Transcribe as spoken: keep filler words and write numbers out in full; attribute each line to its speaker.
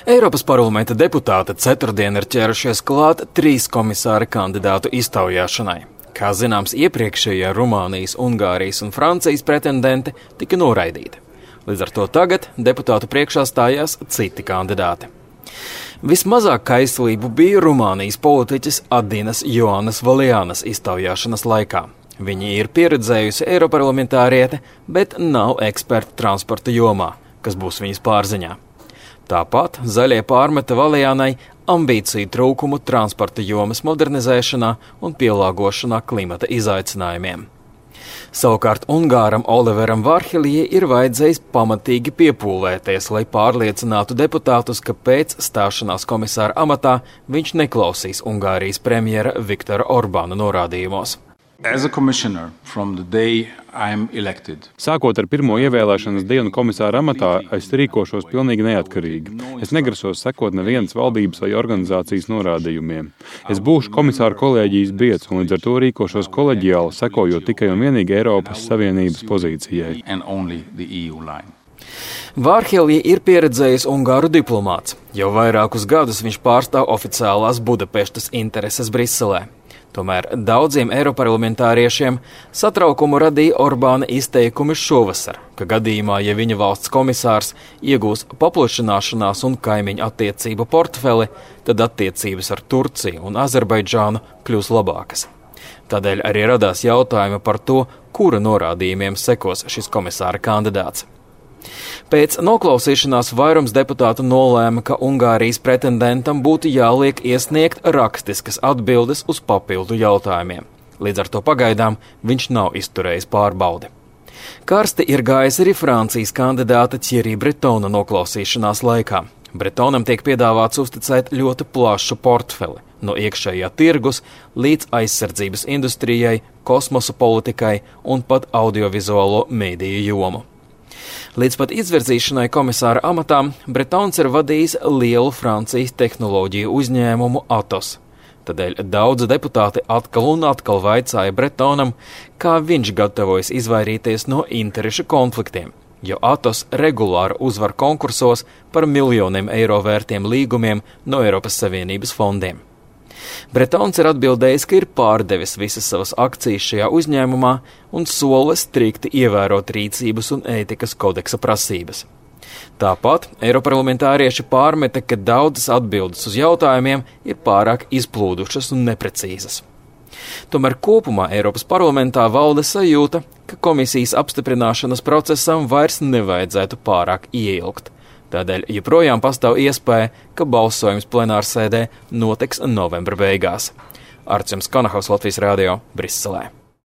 Speaker 1: Eiropas parlamenta deputāti ceturtdien ir ķērušies klāt trīs komisāra kandidātu iztaujāšanai. Kā zināms, iepriekšējie Rumānijas, Ungārijas un Francijas pretendenti tika noraidīti. Līdz ar to tagad deputātu priekšā stājās citi kandidāti. Vismazāk kaislību bija Rumānijas politiķis Adinas Joanas Valianas iztaujāšanas laikā. Viņa ir pieredzējusi eiroparlamentāriete, bet nav eksperta transporta jomā, kas būs viņas pārziņā. Tāpat zaļie pārmeta Valianai ambīciju trūkumu transporta jomas modernizēšanā un pielāgošanā klimata izaicinājumiem. Savukārt Ungāram Oliveram Vārhelijai ir vajadzējis pamatīgi piepūlēties, lai pārliecinātu deputātus, ka pēc stāšanās komisāra amatā viņš neklausīs Ungārijas premjera Viktora Orbāna norādījumos.
Speaker 2: Sākot ar pirmo ievēlēšanas dienu komisāra amatā, es rīkošos pilnīgi neatkarīgi. Es negrasos sekot nevienas valdības vai organizācijas norādījumiem. Es būšu komisāra kolēģijas biedrs un līdz ar to rīkošos koleģiāli, sekojot tikai un vienīgi Eiropas Savienības pozīcijai.
Speaker 1: Vārhelijai ir pieredzējis Ungāru diplomāts. Jau vairākus gadus viņš pārstāv oficiālās Budapeštas intereses Briselē. Tomēr daudziem eiroparlamentāriešiem satraukumu radīja Orbāna izteikumi šovasar, ka gadījumā, ja viņa valsts komisārs iegūs paplašināšanās un kaimiņu attiecību portfeli, tad attiecības ar Turciju un Azerbaidžānu kļūs labākas. Tādēļ arī radās jautājumi par to, kura norādījumiem sekos šis komisāra kandidāts. Pēc noklausīšanās vairums deputātu nolēma, ka Ungārijas pretendentam būtu jāliek iesniegt rakstiskas atbildes uz papildu jautājumiem. Līdz ar to pagaidām viņš nav izturējis pārbaudi. Karsti ir gājis arī Francijas kandidāta Thierry Bretona noklausīšanās laikā. Bretonam tiek piedāvāts uzticēt ļoti plašu portfeli, no iekšējā tirgus līdz aizsardzības industrijai, kosmosa politikai un pat audiovizuālo mēdīju jomu. Līdz pat izvirzīšanai komisāra amatām Bretons ir vadījis lielu Francijas tehnoloģiju uzņēmumu Atos. Tādēļ daudzi deputāti atkal un atkal vaicāja Bretonam, kā viņš gatavojas izvairīties no interešu konfliktiem, jo Atos regulāri uzvar konkursos par miljoniem eiro vērtiem līgumiem no Eiropas Savienības fondiem. Bretons ir atbildējis, ka ir pārdevis visas savas akcijas šajā uzņēmumā un sola strikti ievērot rīcības un ētikas kodeksa prasības. Tāpat eiroparlamentārieši pārmeta, ka daudzas atbildes uz jautājumiem ir pārāk izplūdušas un neprecīzas. Tomēr kopumā Eiropas parlamentā valda sajūta, ka komisijas apstiprināšanas procesam vairs nevajadzētu pārāk ieilgt. Tādēļ joprojām pastāv iespēja, ka balsojums plenārsēdē notiks novembra beigās. Artjums Konahaus, Latvijas radio, Briselē.